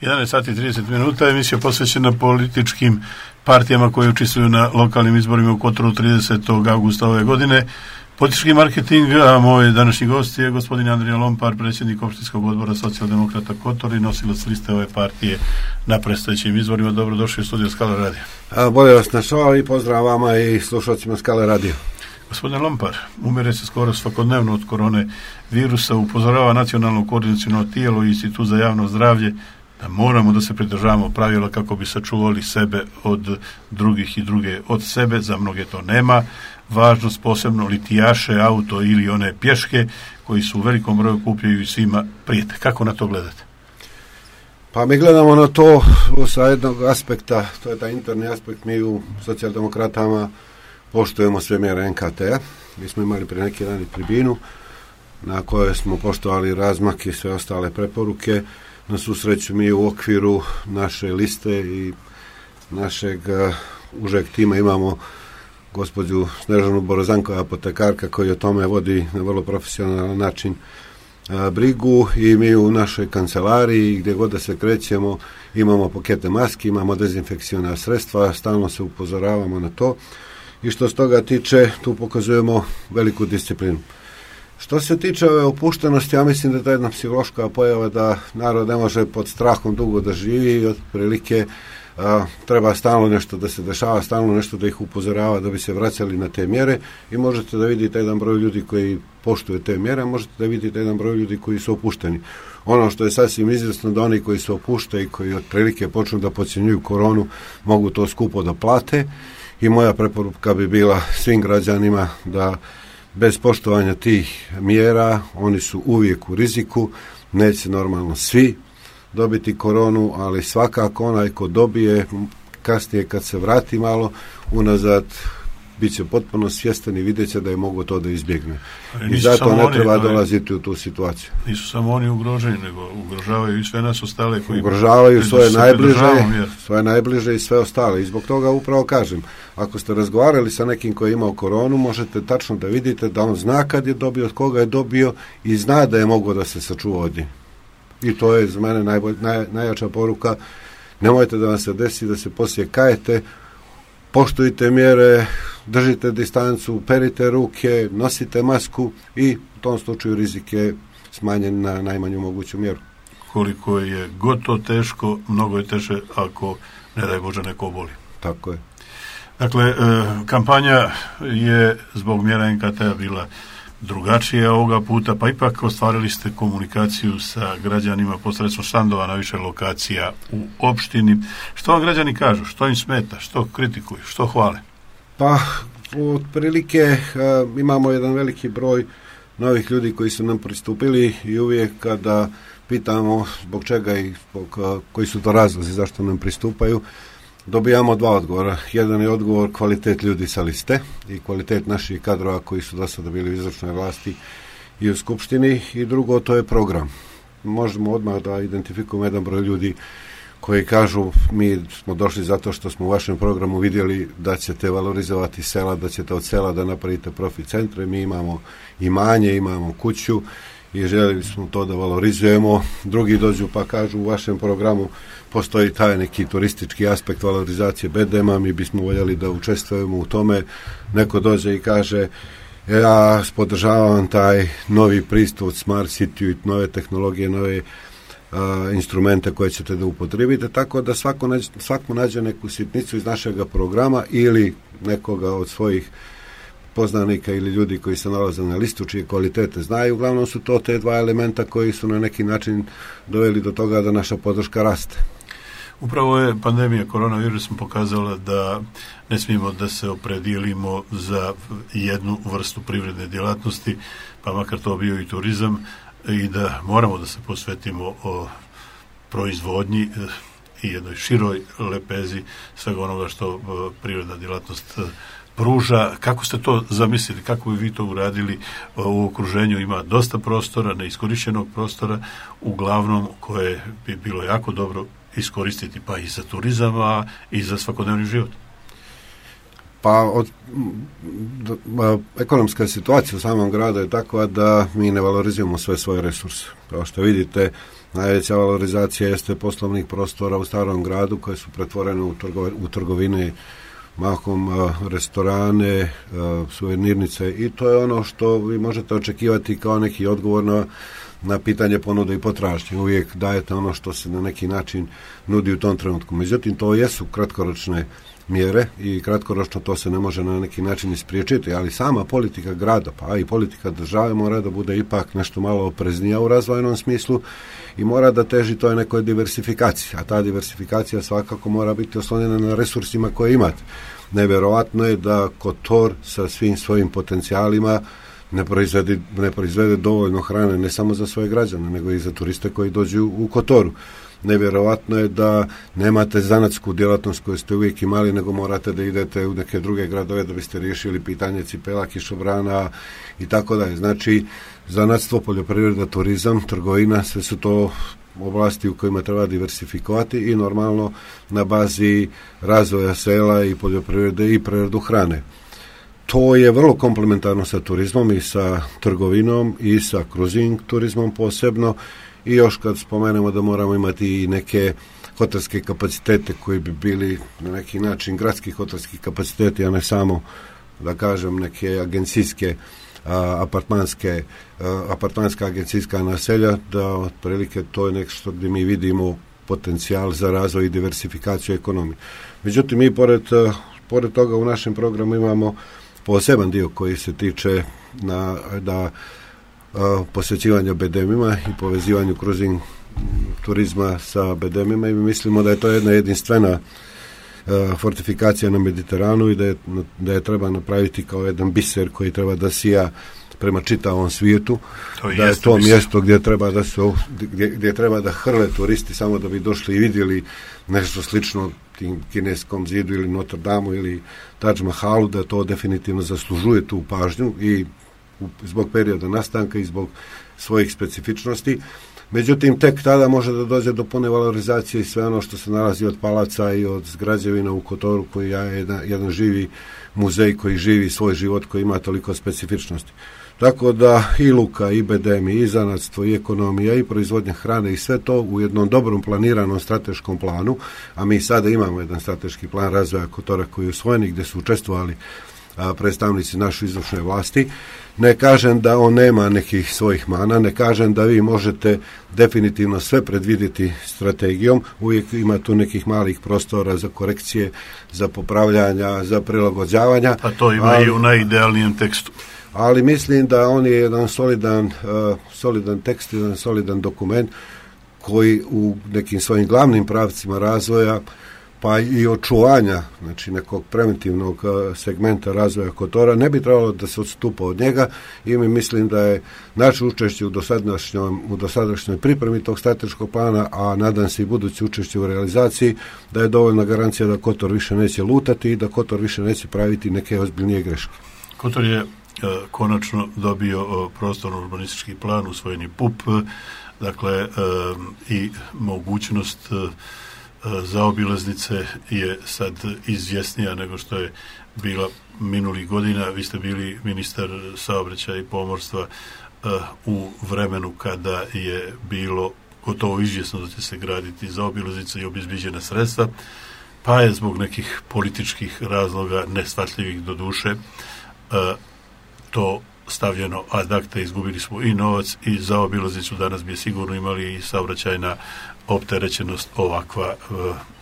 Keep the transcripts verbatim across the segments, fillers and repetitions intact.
jedanaest sati i trideset minuta, emisija posvećena političkim partijama koje učestvuju na lokalnim izborima u Kotoru tridesetog avgusta ove godine. Politički marketing, a moj današnji gost je gospodin Andrija Lompar, predsjednik opštinskog odbora Socijaldemokrata Kotor i nosilac liste ove partije na predstojećim izborima. Dobrodošli u studiju Skala Radio. A, bolje vas našao i pozdrav vama i slušalcima Skala Radio. Gospodin Lompar, umire se skoro svakodnevno od korone virusa, upozorava nacionalno koordinaciono tijelo i Institut za javno zdravlje da moramo da se pridržavamo pravila kako bi sačuvali sebe od drugih i druge od sebe. Za mnoge to nema važnost, posebno litijaše, auto ili one pješke koji su u velikom broju kupljaju i svima prijete. Kako na to gledate? Pa mi gledamo na to sa jednog aspekta, to je taj interni aspekt. Mi u Socijaldemokratama poštujemo sve mjere en ka te a. Mi smo imali prije neki dan i tribinu na kojoj smo poštovali razmak i sve ostale preporuke. Na svu sreću mi u okviru naše liste i našeg uh, užeg tima imamo gospođu Snežanu Borozanko, apotekarka, koji o tome vodi na vrlo profesionalan način uh, brigu, i mi u našoj kancelariji gdje god da se krećemo imamo pakete maski, imamo dezinfekciona sredstva, stalno se upozoravamo na to i što s toga tiče tu pokazujemo veliku disciplinu. Što se tiče ove opuštenosti, ja mislim da je to jedna psihološka pojava da narod ne može pod strahom dugo da živi i otprilike a, treba stalno nešto da se dešava, stalno nešto da ih upozorava da bi se vraćali na te mjere, i možete da vidite jedan broj ljudi koji poštuje te mjere, možete da vidite jedan broj ljudi koji su opušteni. Ono što je sasvim izvjesno da oni koji se opuštaju i koji otprilike počnu da podcjenjuju koronu mogu to skupo da plate, i moja preporuka bi bila svim građanima da bez poštovanja tih mjera, oni su uvijek u riziku, neće normalno svi dobiti koronu, ali svakako onaj ko dobije, kasnije kad se vrati malo unazad, bit će potpuno svjestan i vidjet će da je mogo to da izbjegne. I zato ne treba oni, dolaziti u tu situaciju. Nisu samo oni ugroženi, nego ugrožavaju i sve nas ostale koji ugrožavaju svoje najbliže, svoje najbliže i sve ostale. I zbog toga upravo kažem, ako ste razgovarali sa nekim koji je imao koronu, možete tačno da vidite da on zna kad je dobio, od koga je dobio i zna da je mogao da se sačuva od nje. I to je za mene najbolj, naj, najjača poruka. Nemojte da vam se desi da se poslije kajete, poštujte mjere, držite distancu, perite ruke, nosite masku i u tom slučaju rizik je smanjen na najmanju moguću mjeru. Koliko je gotovo teško, mnogo je teže ako, ne daj Bože, neko oboli. Tako je. Dakle, kampanja je zbog mjera en ka te a bila drugačije ovoga puta, pa ipak ostvarili ste komunikaciju sa građanima posredstvom štandova na više lokacija u opštini. Što vam građani kažu? Što im smeta? Što kritikuju? Što hvale? Pa, otprilike uh, imamo jedan veliki broj novih ljudi koji su nam pristupili, i uvijek kada pitamo zbog čega i zbog, uh, koji su to razlozi zašto nam pristupaju, dobijamo dva odgovora. Jedan je odgovor kvalitet ljudi sa liste i kvalitet naših kadrova koji su do sada bili u izvršnoj vlasti i u skupštini, i drugo, to je program. Možemo odmah da identifikujemo jedan broj ljudi koji kažu mi smo došli zato što smo u vašem programu vidjeli da ćete valorizovati sela, da ćete od sela da napravite profit centre, mi imamo imanje, imamo kuću i željeli smo to da valorizujemo. Drugi dođu pa kažu u vašem programu postoji taj neki turistički aspekt valorizacije bedema, mi bismo voljeli da učestvujemo u tome. Neko dođe i kaže ja podržavam taj novi pristup Smart City, nove tehnologije, nove a, instrumente koje ćete da upotrijebite, tako da svako nađe, svako nađe neku sitnicu iz našeg programa ili nekoga od svojih poznanika ili ljudi koji se nalaze na listu čije kvalitete znaju. Uglavnom su to te dva elementa koji su na neki način doveli do toga da naša podrška raste. Upravo je pandemija koronavirusom pokazala da ne smijemo da se opredijelimo za jednu vrstu privredne djelatnosti, pa makar to bio i turizam, i da moramo da se posvetimo o proizvodnji i jednoj široj lepezi svega onoga što privredna djelatnost pruža. Kako ste to zamislili? Kako bi vi to uradili? U okruženju ima dosta prostora, neiskorišćenog prostora, uglavnom koje bi bilo jako dobro iskoristiti pa i za turizam, a i za svakodnevni život. Pa od, d, d, ekonomska situacija u samom gradu je takva da mi ne valorizujemo sve svoje resurse. Kao što vidite, Najveća valorizacija jeste poslovnih prostora u starom gradu koje su pretvorene u, trgo, u trgovine, mahom uh, restorane, uh, suvenirnice, i to je ono što vi možete očekivati kao neki odgovor na, na pitanje ponude i potražnje. Uvijek dajete ono što se na neki način nudi u tom trenutku. Međutim, to jesu kratkoročne mjere i kratkoročno to se ne može na neki način ispriječiti, ali sama politika grada, pa i politika države mora da bude ipak nešto malo opreznija u razvojnom smislu i mora da teži toj nekoj diversifikaciji, a ta diversifikacija svakako mora biti oslonjena na resursima koje imate. Nevjerovatno je da Kotor sa svim svojim potencijalima ne proizvede, ne proizvede dovoljno hrane ne samo za svoje građane, nego i za turiste koji dođu u Kotoru. Nevjerovatno je da nemate zanatsku djelatnost koju ste uvijek imali, nego morate da idete u neke druge gradove da biste riješili pitanje cipela, kišobrana i tako dalje. Znači, zanatstvo, poljoprivreda, turizam, trgovina, sve su to oblasti u kojima treba diversifikovati i normalno na bazi razvoja sela i poljoprivrede i preradu hrane. To je vrlo komplementarno sa turizmom i sa trgovinom i sa cruising turizmom posebno. I još kad spomenemo da moramo imati i neke hotelske kapacitete koji bi bili na neki način gradski hotelski kapaciteti, a ne samo, da kažem, neke agencijske, a, apartmanske, a, apartmanska agencijska naselja, da otprilike to je nešto gdje mi vidimo potencijal za razvoj i diversifikaciju ekonomije. Međutim, mi pored, pored toga u našem programu imamo poseban dio koji se tiče na, da posvećivanja bedemima i povezivanju cruising turizma sa bedemima, i mi mislimo da je to jedna jedinstvena uh, fortifikacija na Mediteranu i da je, da je treba napraviti kao jedan biser koji treba da sija prema čitavom svijetu, to da je to biser. Mjesto gdje treba da se gdje, gdje treba da hrle turisti samo da bi došli i vidjeli nešto slično tim kineskom zidu ili Notre Dame ili Taj Mahalu, da to definitivno zaslužuje tu pažnju i zbog perioda nastanka i zbog svojih specifičnosti. Međutim, tek tada može da dođe do pune valorizacije i sve ono što se nalazi od palaca i od građevina u Kotoru, koji je jedan, jedan živi muzej koji živi svoj život, koji ima toliko specifičnosti. Tako da i luka, i bedemi, i zanatstvo, i ekonomija, i proizvodnja hrane i sve to u jednom dobrom planiranom strateškom planu, a mi sada imamo jedan strateški plan razvoja Kotora koji je usvojen, gdje su učestvovali a, predstavnici naše izvršne vlasti. Ne kažem da on nema nekih svojih mana, ne kažem da vi možete definitivno sve predvidjeti strategijom, uvijek ima tu nekih malih prostora za korekcije, za popravljanja, za prilagođavanja. A to ima ali, i u najidealnijem tekstu. Ali mislim da on je jedan solidan, uh, solidan tekst, jedan solidan dokument koji u nekim svojim glavnim pravcima razvoja pa i očuvanja, znači nekog preventivnog segmenta razvoja Kotora, ne bi trebalo da se odstupa od njega, i mi mislim da je naše učešće u dosadašnjoj, u dosadašnjoj pripremi tog strateškog plana, a nadam se i buduće učešće u realizaciji, da je dovoljna garancija da Kotor više neće lutati i da Kotor više neće praviti neke ozbiljnije greške. Kotor je konačno dobio prostorno urbanistički plan, usvojeni P U P, dakle i mogućnost zaobilaznice je sad izvjesnija nego što je bila minulih godina. Vi ste bili ministar saobraćaja i pomorstva u vremenu kada je bilo gotovo izvjesno da će se graditi zaobilaznica i obezbiđena sredstva, pa je zbog nekih političkih razloga, neshvatljivih do duše, to stavljeno ad acta, izgubili smo i novac i zaobilaznicu. Danas bi sigurno imali i saobraćajna opterećenost ovakva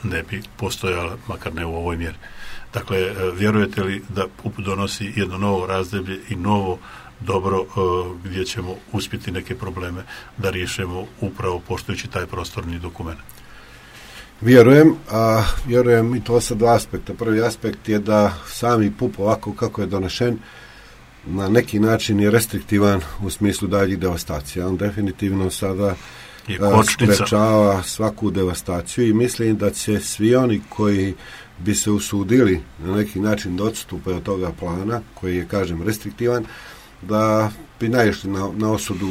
ne bi postojala, makar ne u ovoj mjeri. Dakle, vjerujete li da P U P donosi jedno novo razdoblje i novo dobro gdje ćemo uspjeti neke probleme da riješimo upravo poštujući taj prostorni dokument? Vjerujem, a vjerujem i to sa dva aspekta. Prvi aspekt je da sami P U P ovako kako je donešen na neki način je restriktivan u smislu daljih devastacija. On definitivno sada sprečava svaku devastaciju i mislim da će svi oni koji bi se usudili na neki način da odstupe od toga plana, koji je, kažem, restriktivan, da bi naišli na, na osudu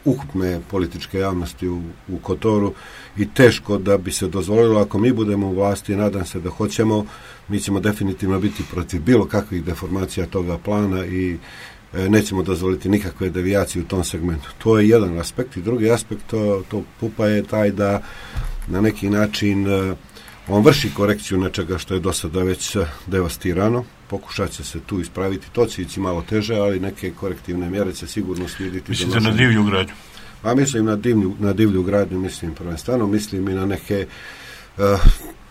ukupne političke javnosti u, u Kotoru i teško da bi se dozvolilo, ako mi budemo u vlasti, nadam se da hoćemo, mi ćemo definitivno biti protiv bilo kakvih deformacija toga plana i nećemo dozvoliti nikakve devijacije u tom segmentu. To je jedan aspekt i drugi aspekt to, to pupa je taj da na neki način on vrši korekciju nečega što je do sada već devastirano, pokušat će se tu ispraviti, to će ići malo teže, ali neke korektivne mjere će sigurno slijediti. Mislite na divlju gradnju? Pa mislim na divlju, na divlju gradnju, mislim prvenstveno, mislim i na neke uh,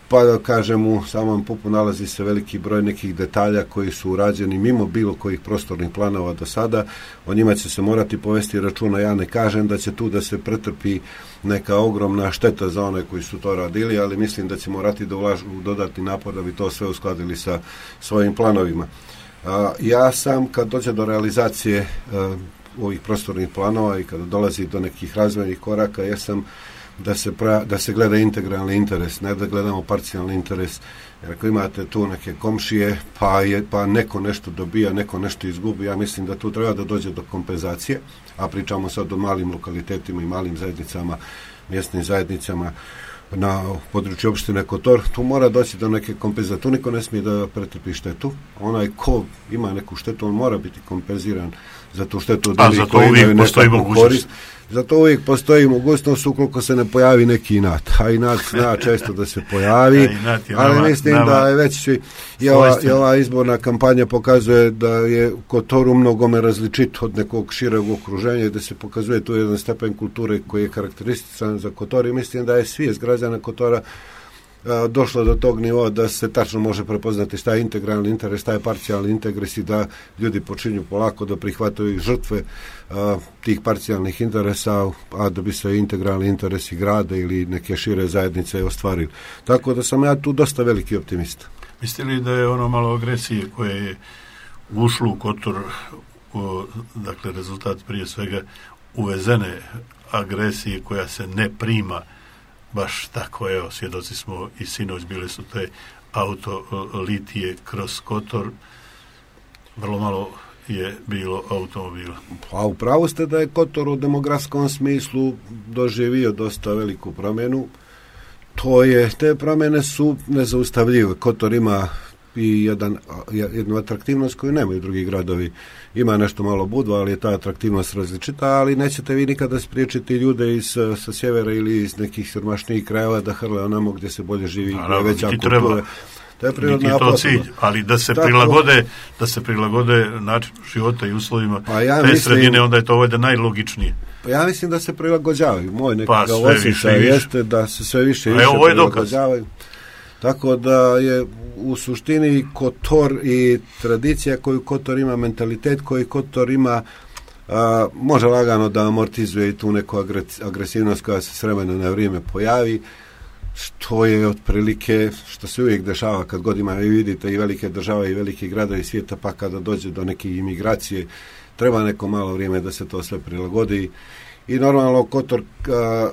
pa da kažem u samom pupu nalazi se veliki broj nekih detalja koji su urađeni mimo bilo kojih prostornih planova do sada, o njima će se morati povesti računa, ja ne kažem da će tu da se pretrpi neka ogromna šteta za one koji su to radili, ali mislim da će morati da ulažu dodatni napor da bi to sve uskladili sa svojim planovima. A, ja sam kad dođe do realizacije a, ovih prostornih planova i kada dolazi do nekih razvojnih koraka, ja sam da se, pra, da se gleda integralni interes, ne da gledamo parcijalni interes. Jer ako imate tu neke komšije, pa, je, pa neko nešto dobija, neko nešto izgubi, ja mislim da tu treba da dođe do kompenzacije, a pričamo sad o malim lokalitetima i malim zajednicama, mjesnim zajednicama na području opštine Kotor, tu mora doći do neke kompenzacije. Tu niko ne smije da pretrpi štetu. Onaj ko ima neku štetu, on mora biti kompenziran za tu štetu. A za to uvijek postoji mogućnost. Zato uvijek postoji mogućnost ukoliko se ne pojavi neki inat. A inat zna često da se pojavi, ali nama, mislim nama da je već i ova, i ova izborna kampanja pokazuje da je Kotoru mnogome različit od nekog šireg okruženja, gdje se pokazuje tu jedan stepen kulture koji je karakterističan za Kotor i mislim da je svijest građana Kotora a, došlo do tog nivoa da se tačno može prepoznati šta je integralni interes, šta je parcijalni interes i da ljudi počinju polako da prihvataju žrtve a, tih parcijalnih interesa, a da bi se integralni interesi grada ili neke šire zajednice ostvarili. Tako da sam ja tu dosta veliki optimista. Mislite li da je ono malo agresije koje je ušlo u Kotor, o, dakle rezultat prije svega uvezene agresije koja se ne prima baš tako, evo, svjedoci smo i sinoć bile su te auto litije kroz Kotor, vrlo malo je bilo automobila. A upravo ste da je Kotor u demografskom smislu doživio dosta veliku promjenu. To je, te promjene su nezaustavljive. Kotor ima i jedan, jednu atraktivnost koju nemaju drugi gradovi. Ima nešto malo Budva, ali je ta atraktivnost različita, ali nećete vi nikada spriječiti ljude iz, sa sjevera ili iz nekih siromašnijih krajeva da hrle onamo gdje se bolje živi, gdje je veća kultura. To je prirodna to cilj, ali da se Tako, prilagode da se prilagode način života i uslovima pa ja te mislim, sredine, onda je to ovdje najlogičnije. Pa ja mislim da se prilagođavaju. Moj nekakav pa, osjećaj jeste da se sve više i više prilagođavaju. Tako da je u suštini Kotor i tradicija koju Kotor ima, mentalitet koji Kotor ima, a, može lagano da amortizuje i tu neku agresivnost koja se s vremena na vrijeme pojavi, što je otprilike, što se uvijek dešava kad god ima, vi vidite i velike države i velike gradovi svijeta, pa kada dođe do neke imigracije, treba neko malo vrijeme da se to sve prilagodi. I normalno Kotor a,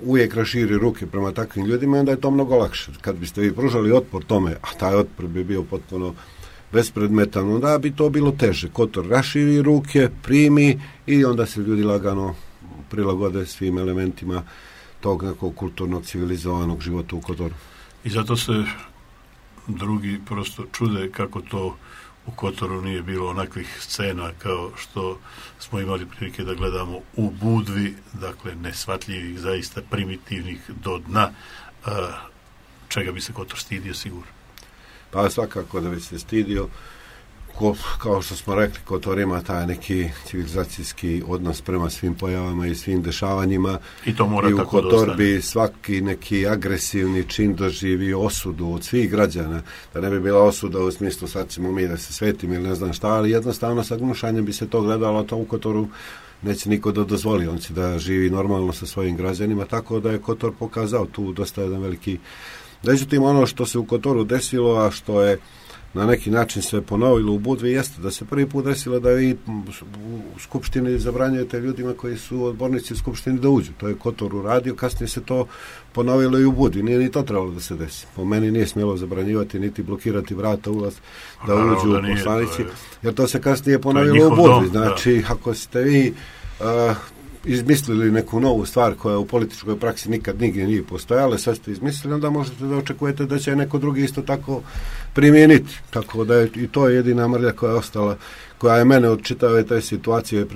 uvijek raširi ruke prema takvim ljudima, onda je to mnogo lakše. Kad biste vi pružali otpor tome, a taj otpor bi bio potpuno bespredmetan, onda bi to bilo teže. Kotor raširi ruke, primi i onda se ljudi lagano prilagode svim elementima tog nekog kulturnog, civilizovanog života u Kotoru. I zato se drugi prosto čude kako to u Kotoru nije bilo onakvih scena kao što smo imali prilike da gledamo u Budvi, dakle nesvatljivih, zaista primitivnih do dna, a, čega bi se Kotor stidio sigurno. Pa svakako da bi se stidio, ko, kao što smo rekli, Kotor ima taj neki civilizacijski odnos prema svim pojavama i svim dešavanjima. I to mora I tako u Kotor bi svaki neki agresivni čin doživio osudu od svih građana, da ne bi bila osuda u smislu sad ćemo mi da se svetim ili ne znam šta, ali jednostavno sa gnušanjem bi se to gledalo, to u Kotoru neće niko da dozvoli, on će da živi normalno sa svojim građanima, tako da je Kotor pokazao tu dosta jedan veliki. Međutim, ono što se u Kotoru desilo, a što je na neki način se ponovilo u Budvi, jeste da se prvi put desilo da vi u Skupštini zabranjujete ljudima koji su odbornici u Skupštini da uđu. To je Kotor uradio, kasnije se to ponovilo i u Budvi. Nije ni to trebalo da se desi. Po meni nije smjelo zabranjivati niti blokirati vrata ulaz da a, uđu da poslanici, jer to se kasnije ponovilo u Budvi. Dom, znači, da. Ako ste vi uh, izmislili neku novu stvar koja u političkoj praksi nikad nigdje nije postojala, sad ste izmislili, onda možete da očekujete da će neko drugi isto tako primijeniti. Tako da je i to je jedina mrlja koja je ostala, koja je mene od čitave te situacije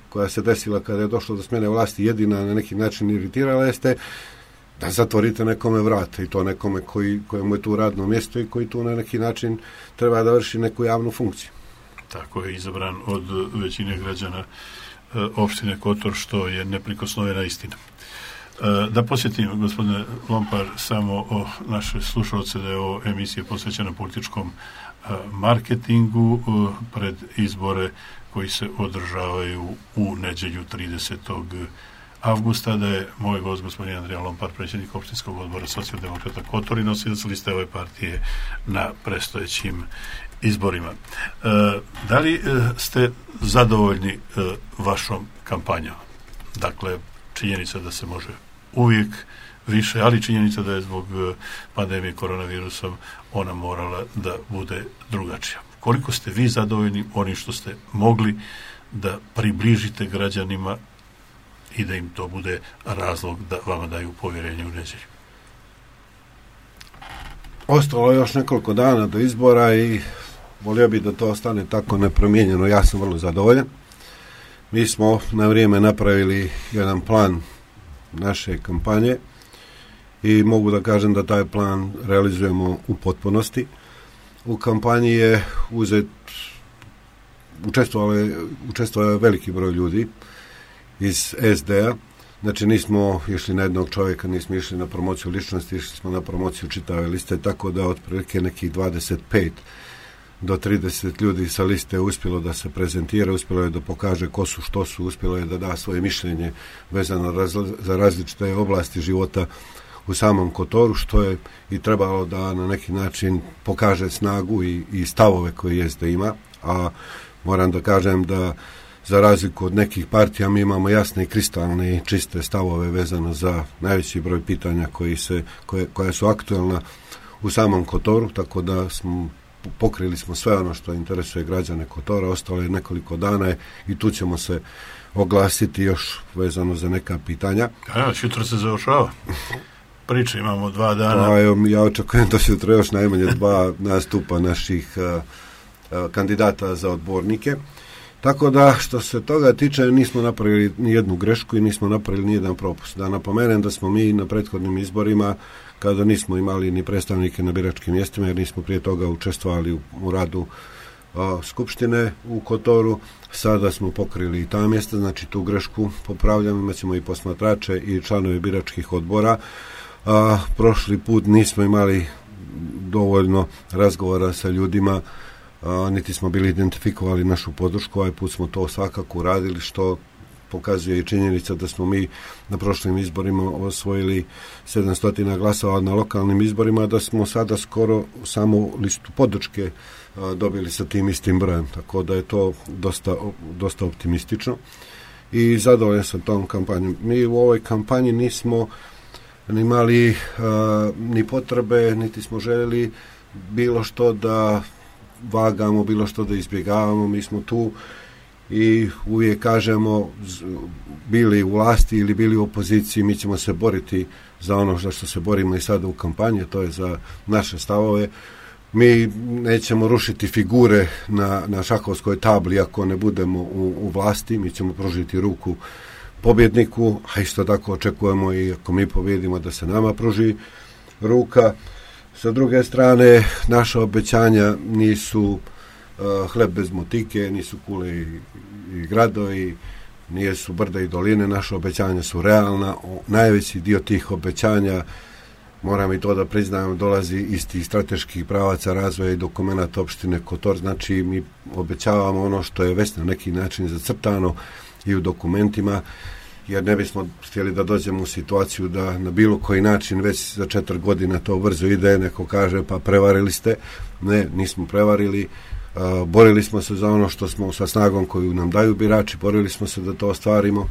koja se desila kada je došlo do smjene vlasti jedina na neki način iritirala jeste da zatvorite nekome vrate i to nekome koji, kojemu je tu radno mjesto i koji tu na neki način treba da vrši neku javnu funkciju. Tako je izabran od većine građana e, opštine Kotor, što je neprikosnovena istina. E, da posjetim, gospodine Lompar, samo o naše slušalce da je ovo emisija posvećena političkom e, marketingu e, pred izbore koji se održavaju u nedjelju tridesetog avgusta, da je moj gost gospodin Andrija Lompar, predsjednik opštinskog odbora Socijaldemokrata Kotor i nosilac liste ove partije na predstojećim izborima. E, da li e, ste zadovoljni e, vašom kampanjom? Dakle, činjenica da se može uvijek više, ali činjenica da je zbog e, pandemije koronavirusom ona morala da bude drugačija. Koliko ste vi zadovoljni onim što ste mogli da približite građanima i da im to bude razlog da vama daju povjerenje u nedjelju? Ostalo je još nekoliko dana do izbora i volio bi da to ostane tako nepromijenjeno. Ja sam vrlo zadovoljan. Mi smo na vrijeme napravili jedan plan naše kampanje i mogu da kažem da taj plan realizujemo u potpunosti. U kampanji je uzet učestvovao je veliki broj ljudi iz es de a. Znači nismo išli na jednog čovjeka, nismo išli na promociju ličnosti, išli smo na promociju čitave liste, tako da otprilike nekih dvadeset pet do trideset ljudi sa liste je uspjelo da se prezentira, uspjelo je da pokaže ko su, što su, uspjelo je da da svoje mišljenje vezano razli- za različite oblasti života u samom Kotoru, što je i trebalo da na neki način pokaže snagu i, i stavove koje jeste ima, a moram da kažem da za razliku od nekih partija mi imamo jasne i kristalne i čiste stavove vezano za najveći broj pitanja koji se, koje, koja su aktualna u samom Kotoru, tako da smo pokrili smo sve ono što interesuje građane Kotora, ostalo je nekoliko dana i tu ćemo se oglasiti još vezano za neka pitanja. A, jutro se završava. Priče imamo dva dana. Pa, ja očekujem da se jutro još najmanje dva nastupa naših uh, uh, kandidata za odbornike. Tako da, što se toga tiče, nismo napravili ni jednu grešku i nismo napravili ni jedan propust. Da napomenem da smo mi na prethodnim izborima, kada nismo imali ni predstavnike na biračkim mjestima, jer nismo prije toga učestvovali u, u radu a, Skupštine u Kotoru, sada smo pokrili i ta mjesta, znači tu grešku popravljamo, imat ćemo i posmatrače i članove biračkih odbora. A, prošli put nismo imali dovoljno razgovora sa ljudima, A, niti smo bili identifikovali našu podršku, ovaj put smo to svakako uradili, što pokazuje i činjenica da smo mi na prošlim izborima osvojili sedamsto glasova na lokalnim izborima, da smo sada skoro samo listu podrške a, dobili sa tim istim brojem, tako da je to dosta, dosta optimistično i zadovoljan sam tom kampanjom. Mi u ovoj kampanji nismo imali a, ni potrebe, niti smo željeli bilo što da vagamo, bilo što da izbjegavamo. Mi smo tu i uvijek kažemo, bili u vlasti ili bili u opoziciji, mi ćemo se boriti za ono za što se borimo i sada u kampanji, to je za naše stavove. Mi nećemo rušiti figure na, na šahovskoj tabli ako ne budemo u, u vlasti, mi ćemo pružiti ruku pobjedniku, a isto tako očekujemo i ako mi pobjedimo da se nama pruži ruka. Sa druge strane, naša obećanja nisu uh, hleb bez motike, nisu kule i, i gradovi, nisu brda i doline, naša obećanja su realna. O, najveći dio tih obećanja, moram i to da priznajem, dolazi iz tih strateških pravaca razvoja i dokumenta opštine Kotor, znači mi obećavamo ono što je već na neki način zacrtano i u dokumentima, jer ne bismo htjeli da dođemo u situaciju da na bilo koji način već za četiri godina to brzo ide, neko kaže pa prevarili ste. Ne, nismo prevarili, uh, borili smo se za ono što smo sa snagom koju nam daju birači, borili smo se da to ostvarimo.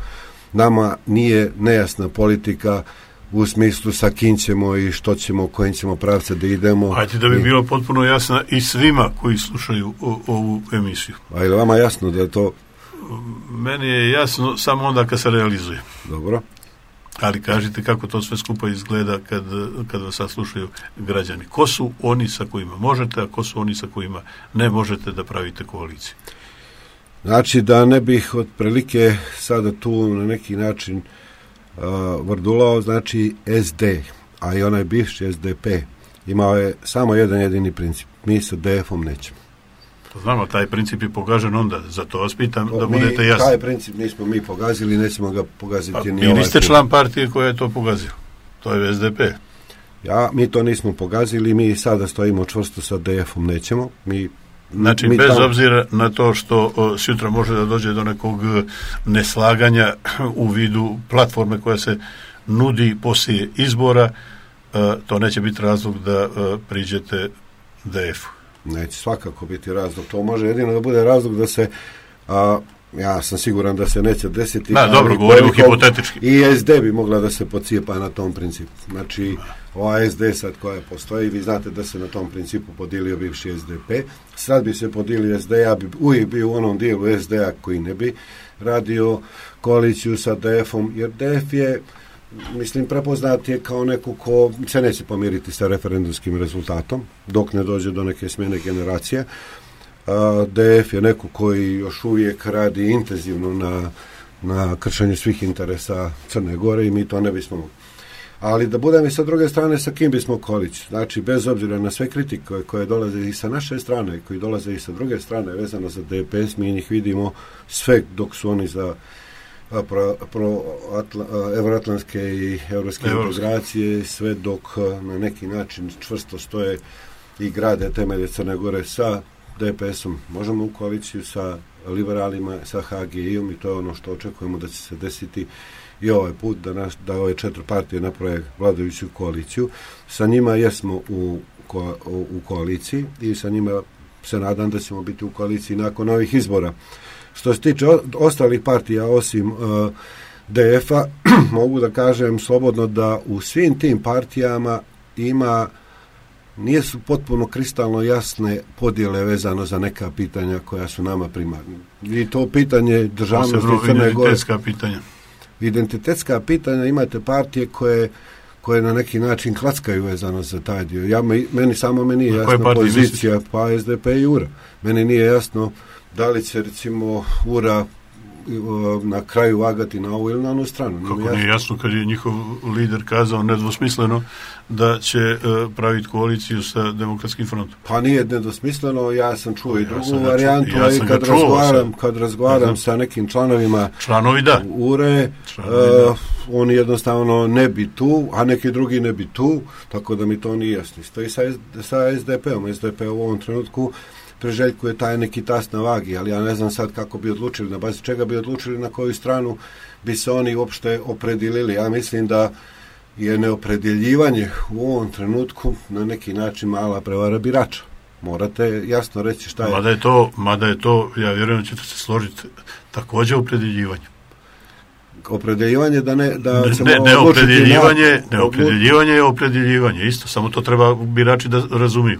Nama nije nejasna politika u smislu sa kim ćemo i što ćemo, kojim ćemo pravce da idemo. Hajde da bi bilo potpuno jasno i svima koji slušaju o, ovu emisiju. A je li vama jasno da je to meni je jasno samo onda kad se realizuje. Dobro. Ali kažite kako to sve skupa izgleda kad, kad vas saslušaju građani. Ko su oni sa kojima možete, a ko su oni sa kojima ne možete da pravite koaliciju? Znači da ne bih otprilike sada tu na neki način uh, vrdulao, znači S D, a i onaj bivši S D P imao je samo jedan jedini princip. Mi sa D F-om nećemo. Znamo, taj princip je pogažen onda, zato vas pitam da mi, budete jasni. Taj princip nismo mi pogazili, nećemo ga pogaziti pa, ni vi ovaj niste put. član partije koja je to pogazila, to je S D P. Ja, mi to nismo pogazili, mi sada stojimo čvrsto sa D F-om, nećemo. Mi, znači, mi bez tam... obzira na to što o, sutra može da dođe do nekog neslaganja u vidu platforme koja se nudi poslije izbora, a, to neće biti razlog da a, priđete D F-u. Neće svakako biti razlog. To može jedino da bude razlog da se, a, ja sam siguran da se neće desiti. Da, dobro, govorimo hipotetički. I S D bi mogla da se pocijepa na tom principu. Znači, ova S D sad koja postoji, vi znate da se na tom principu podilio bivši S D P. Sad bi se podilio S D, ja bi uvijek bio u onom dijelu S D-a koji ne bi radio koaliciju sa D F-om, jer D F je, mislim, prepoznat je kao neko ko se neće pomiriti sa referendumskim rezultatom dok ne dođe do neke smjene generacije. D F je neko koji još uvijek radi intenzivno na, na kršenju svih interesa Crne Gore i mi to ne bismo mogli. Ali da budem i sa druge strane, sa kim bismo koaliciju? Znači, bez obzira na sve kritike koje, koje dolaze i sa naše strane i koji dolaze i sa druge strane vezano za D P S, mi njih vidimo sve dok su oni za pro, pro atla, evroatlantske i evropske integracije, sve dok na neki način čvrsto stoje i grade temelje Crne Gore sa D P S-om. Možemo u koaliciju sa liberalima, sa H G I-om i to je ono što očekujemo da će se desiti i ovaj put, da, naš, da ove četiri partije naprave vladajuću koaliciju. Sa njima jesmo u, ko, u, u koaliciji i sa njima se nadam da ćemo biti u koaliciji nakon ovih izbora. Što se tiče ostalih partija osim uh, D F-a, mogu da kažem slobodno da u svim tim partijama ima, nije su potpuno kristalno jasne podjele vezano za neka pitanja koja su nama primarna. I to pitanje državnosti Crne Gore. Identitetska pitanja. Identitetska pitanja, imate partije koje koje na neki način klackaju vezano za taj dio. Ja, meni samo meni je jasna pozicija, misliš? Pa S D P i U R A. Meni nije jasno da li će recimo U R A na kraju vagati na ovu ili na onu stranu. Kako nije jasno, jasno kad je njihov lider kazao nedvosmisleno da će uh, praviti koaliciju sa Demokratskim frontom? Pa nije nedvosmisleno, ja sam čuo ja i drugu sam varijantu, ja i kad razgovaram, kad razgovaram sa nekim članovima Članovi da. U R A, Članovi uh, da. oni jednostavno ne bi tu, a neki drugi ne bi tu, tako da mi to nije jasno. Isto i sa, sa S D P-om. S D P u ovom trenutku priželjkuje taj neki tas na vagi, ali ja ne znam sad kako bi odlučili, na bazi čega bi odlučili, na koju stranu bi se oni uopšte opredjelili. Ja mislim da je neopredjeljivanje u ovom trenutku na neki način mala prevara birača. Morate jasno reći šta je. Mada je to, mada je to, ja vjerujem da ćete se složiti, također opredjeljivanje. Opredjeljivanje da ne da ne, ćemo ne, ne opredjeljivanje, na, ne opredjeljivanje je opredjeljivanje, isto, samo to treba birači da razumiju.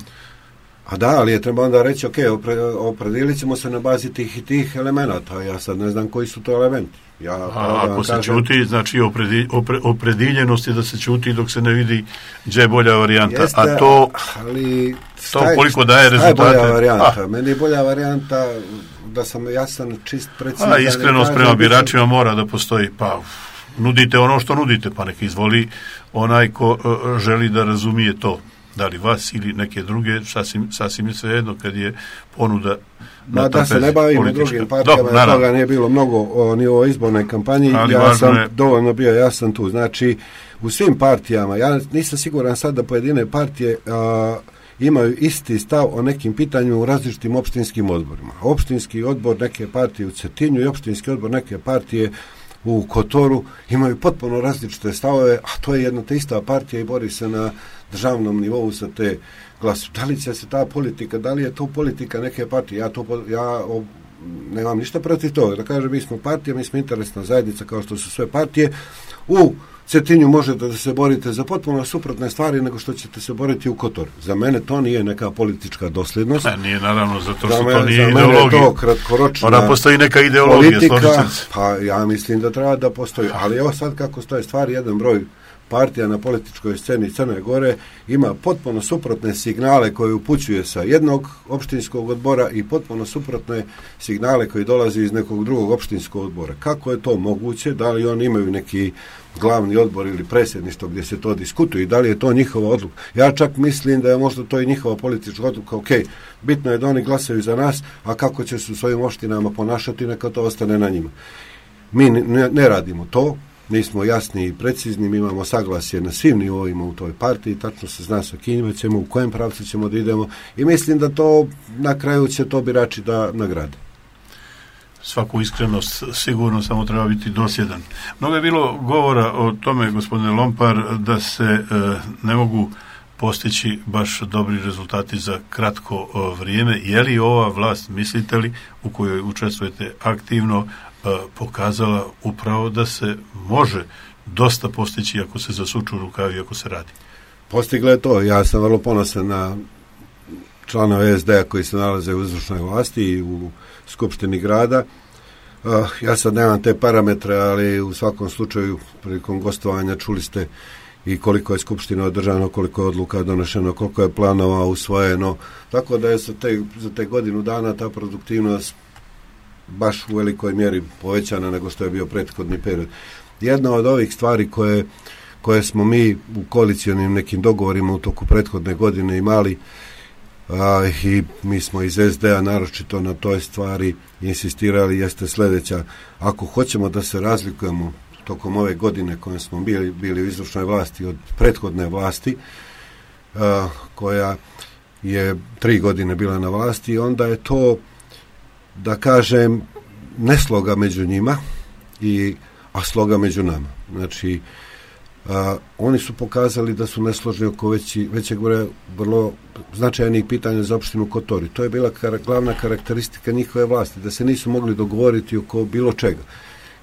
A da, ali je treba onda reći, ok, opre, opredijelit ćemo se na bazi tih i tih elemenata. Ja sad ne znam koji su to elementi. Ja, A ako se kažem, čuti, znači opredi, opre, oprediljenost je da se čuti dok se ne vidi gdje je bolja varijanta. Jeste, a to, ali to koliko daje rezultate. Šta je bolja varijanta? A. Meni je bolja varijanta da sam jasan, čist, precizan. A iskrenost prema biračima mora da postoji. Pa nudite ono što nudite, pa nek izvoli onaj ko uh, želi da razumije to. Da li vas ili neke druge, sasvim, sasvim je svejedno kad je ponuda na da, da se ne bavimo politička. Drugim partijama, Dob, toga nije bilo mnogo o, ni o izbornoj kampanji, ali ja sam je... dovoljno bio jasan tu. Znači, u svim partijama, ja nisam siguran sad da pojedine partije a, imaju isti stav o nekim pitanjima u različitim opštinskim odborima. Opštinski odbor neke partije u Cetinju i opštinski odbor neke partije u Kotoru imaju potpuno različite stavove, a to je jedna te ista partija i bori se na državnom nivou sa te glasu. Da li će se ta politika, da li je to politika neke partije? Ja, to, ja nemam ništa protiv toga. Da kažem, mi smo partija, mi smo interesna zajednica kao što su sve partije. U Cetinju možete da se borite za potpuno suprotne stvari nego što ćete se boriti u Kotoru. Za mene to nije neka politička dosljednost. Ne, nije naravno, zato što me, to nije za ideologija. Za mene je to kratkoročna Ona postoji neka ideologija, politika, pa ja mislim da treba da postoji. Ali evo sad kako stoje stvari, jedan broj partija na političkoj sceni Crne Gore ima potpuno suprotne signale koje upućuje sa jednog opštinskog odbora i potpuno suprotne signale koji dolaze iz nekog drugog opštinskog odbora. Kako je to moguće? Da li oni imaju neki glavni odbor ili predsjedništvo gdje se to diskutuje i da li je to njihova odluka? Ja čak mislim da je možda to i njihova politička odluka. Ok, bitno je da oni glasaju za nas, a kako će se u svojim opštinama ponašati, neka to ostane na njima. Mi ne, ne radimo to. Nismo jasni i precizni, mi imamo saglasje na svim nivoima u toj partiji, tačno se zna sa kim ćemo, u kojem pravcu ćemo da idemo i mislim da to na kraju će to birači da nagrade. Svaku iskrenost sigurno, samo treba biti dosljedan. Mnogo je bilo govora o tome, gospodine Lompar, da se e, ne mogu postići baš dobri rezultati za kratko o, vrijeme. Je li ova vlast, mislite li, u kojoj učestvujete aktivno, pokazala upravo da se može dosta postići ako se zasuču rukavi, ako se radi? Postigla je to. Ja sam vrlo ponosan na članove es de a koji se nalaze u izvršnoj vlasti i u Skupštini grada. Ja sad nemam te parametre, ali u svakom slučaju prilikom gostovanja čuli ste i koliko je Skupština održano, koliko je odluka donošeno, koliko je planova usvojeno. Tako da je za te, za te godinu dana ta produktivnost baš u velikoj mjeri povećana nego što je bio prethodni period. Jedna od ovih stvari koje, koje smo mi u koalicijonim nekim dogovorima u toku prethodne godine imali a, i mi smo iz es de a naročito na toj stvari insistirali jeste sljedeća. Ako hoćemo da se razlikujemo tokom ove godine koje smo bili, bili u izvršnoj vlasti od prethodne vlasti a, koja je tri godine bila na vlasti, onda je to, da kažem, ne sloga među njima, i, a sloga među nama. Znači, a, oni su pokazali da su nesložni oko veći, većeg broja vrlo značajnih pitanja za opštinu Kotor. To je bila kar, glavna karakteristika njihove vlasti, da se nisu mogli dogovoriti oko bilo čega.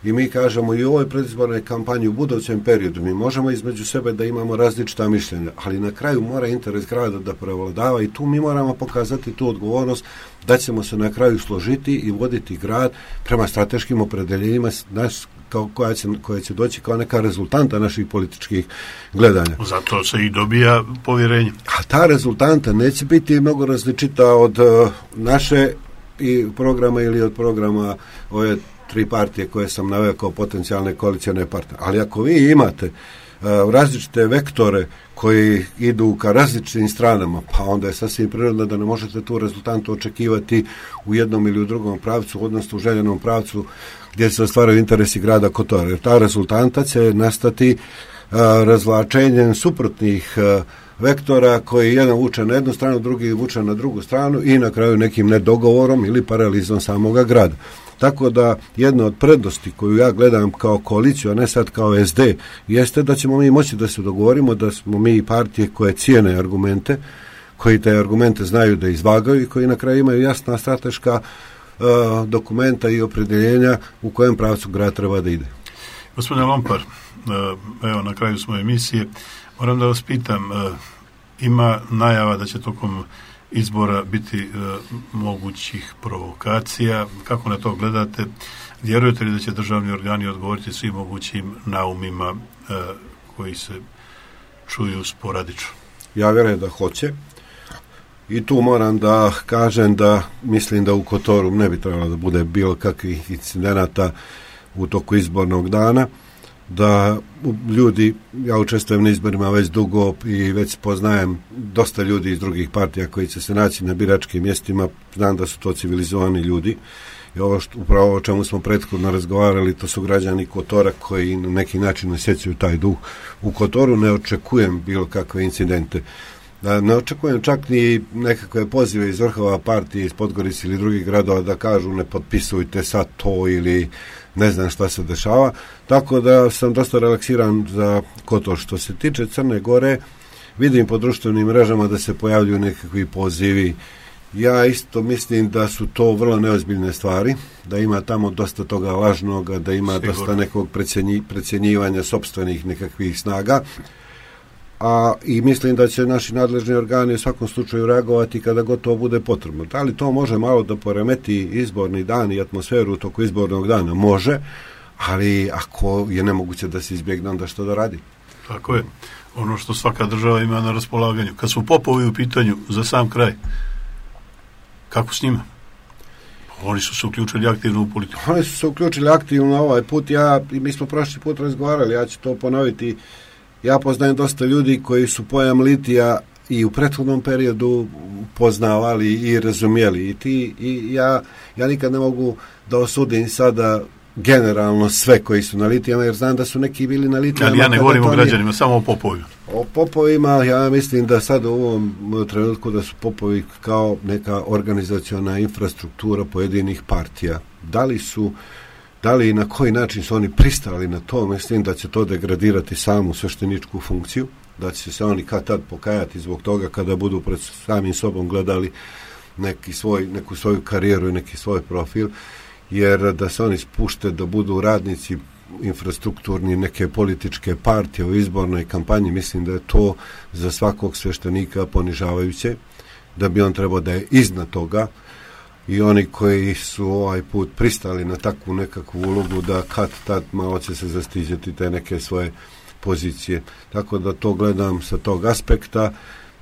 I mi kažemo i u ovoj predizbornoj kampanji u budućem periodu mi možemo između sebe da imamo različita mišljenja, ali na kraju mora interes grada da prevladava i tu mi moramo pokazati tu odgovornost da ćemo se na kraju složiti i voditi grad prema strateškim opredeljenjima naš, kao koja će, koja će doći kao neka rezultanta naših političkih gledanja. Zato se i dobija povjerenje. A ta rezultanta neće biti mnogo različita od uh, naše i programa ili od programa ove tri partije koje sam naveo kao potencijalne koalicijone partnere. Ali ako vi imate uh, različite vektore koji idu ka različitim stranama, pa onda je sasvim prirodno da ne možete tu rezultantu očekivati u jednom ili u drugom pravcu, odnosno u željenom pravcu gdje se ostvaraju interesi grada Kotora. Jer ta rezultanta će nastati uh, razvlačenjem suprotnih uh, vektora koji jedan vuče na jednu stranu, drugi vuče na drugu stranu i na kraju nekim nedogovorom ili paralizom samoga grada. Tako da jedna od prednosti koju ja gledam kao koaliciju, a ne sad kao es de, jeste da ćemo mi moći da se dogovorimo, da smo mi partije koje cijene argumente, koji te argumente znaju da izvagaju i koji na kraju imaju jasna strateška uh, dokumenta i opredeljenja u kojem pravcu grad treba da ide. Gospodine Lompar, uh, evo na kraju smo emisije, moram da vas pitam, uh, ima najava da će tokom izbora biti e, mogućih provokacija. Kako na to gledate? Vjerujete li da će državni organi odgovoriti svim mogućim naumima e, koji se čuju sporadično? Ja vjerujem da hoće. I tu moram da kažem da mislim da u Kotoru ne bi trebalo da bude bilo kakvih incidenata u toku izbornog dana, da ljudi, ja učestvujem na izborima već dugo i već poznajem dosta ljudi iz drugih partija koji će se naći na biračkim mjestima, znam da su to civilizovani ljudi i ovo što, upravo o čemu smo prethodno razgovarali, to su građani Kotora koji na neki način osjećaju taj duh. U Kotoru ne očekujem bilo kakve incidente. Ne očekujem čak ni nekakve pozive iz vrhova partije, iz Podgorice ili drugih gradova da kažu ne potpisujte sad to ili ne znam šta se dešava, tako da sam dosta relaksiran za Kotor. Što se tiče Crne Gore, vidim po društvenim mrežama da se pojavljuju nekakvi pozivi Ja isto mislim da su to vrlo neozbiljne stvari, da ima tamo dosta toga lažnoga, da ima Sigurno. dosta nekog precenji, precenjivanja sopstvenih nekakvih snaga. A i mislim da će naši nadležni organi u svakom slučaju reagovati kada gotovo bude potrebno. Da li to može malo da poremeti izborni dan i atmosferu u toku izbornog dana? Može, ali ako je nemoguće da se izbjegne, onda što da radi? Tako je. Ono što svaka država ima na raspolaganju. Kad su popovi u pitanju za sam kraj, kako s njima? Oni su se uključili aktivno u politiku. Oni su se uključili aktivno ovaj put. Ja, mi smo prošli put razgovarali, ja ću to ponoviti. Ja poznajem dosta ljudi koji su pojam litija i u prethodnom periodu poznavali i razumijeli. I, ti, i ja, ja nikad ne mogu da osudim sada generalno sve koji su na litijama, jer znam da su neki bili na litijama. Ali ja ne govorim o građanima, samo o popovima. O popovima, ja mislim da sad u ovom trenutku da su popovi kao neka organizaciona infrastruktura pojedinih partija. Da li su, da li i na koji način su oni pristali na to, mislim da će to degradirati samu svešteničku funkciju, da će se oni kad tad pokajati zbog toga kada budu pred samim sobom gledali neki svoj, neku svoju karijeru i neki svoj profil, jer da se oni spušte da budu radnici infrastrukturni neke političke partije u izbornoj kampanji, mislim da je to za svakog sveštenika ponižavajuće, da bi on trebao da je iznad toga, i oni koji su ovaj put pristali na takvu nekakvu ulogu da kad tad malo će se zastiđati te neke svoje pozicije. Tako da to gledam sa tog aspekta,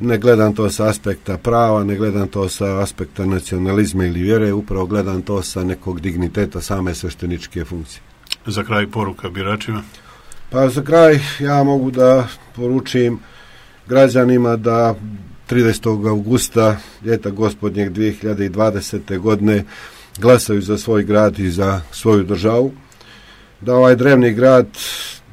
ne gledam to sa aspekta prava, ne gledam to sa aspekta nacionalizma ili vjere, upravo gledam to sa nekog digniteta same svešteničke funkcije. Za kraj poruka biračima? Pa za kraj ja mogu da poručim građanima da tridesetog avgusta ljeta gospodnjeg dvije hiljade dvadesete godine glasaju za svoj grad i za svoju državu, da ovaj drevni grad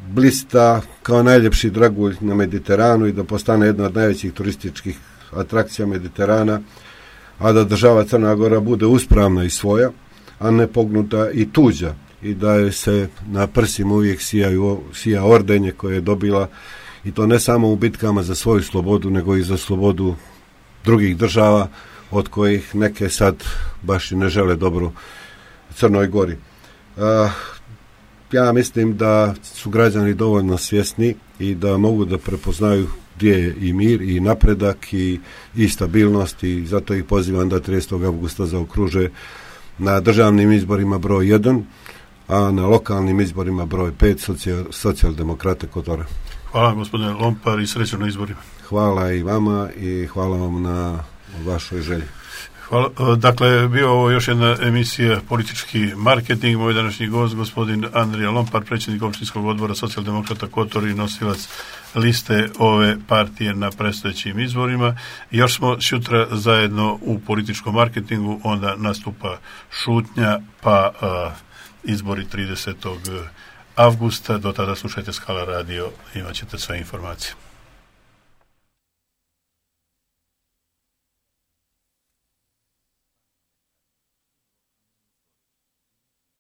blista kao najljepši dragulj na Mediteranu i da postane jedna od najvećih turističkih atrakcija Mediterana, a da država Crna Gora bude uspravna i svoja, a ne pognuta i tuđa, i da je se na prsima uvijek sijaju, sija ordenje koje je dobila, i to ne samo u bitkama za svoju slobodu, nego i za slobodu drugih država, od kojih neke sad baš i ne žele dobro Crnoj Gori. Uh, ja mislim da su građani dovoljno svjesni i da mogu da prepoznaju gdje je i mir i napredak i, i stabilnost, i zato ih pozivam da tridesetog avgusta zaokruže na državnim izborima broj jedan, a na lokalnim izborima broj pet socijal, socijaldemokrate Kotora. Hvala gospodine Lompar i srećno na izborima. Hvala i vama i hvala vam na vašoj želji. Hvala. Dakle, bio ovo još jedna emisija Politički marketing. Moj današnji gost, gospodin Andrija Lompar, predsjednik opštinskog odbora socijaldemokrata Kotor i nosilac liste ove partije na predstojećim izborima. Još smo sutra zajedno u političkom marketingu, onda nastupa šutnja, pa uh, izbori tridesetog avgusta. Do tada slušajte Skala radio, imat ćete sve informacije.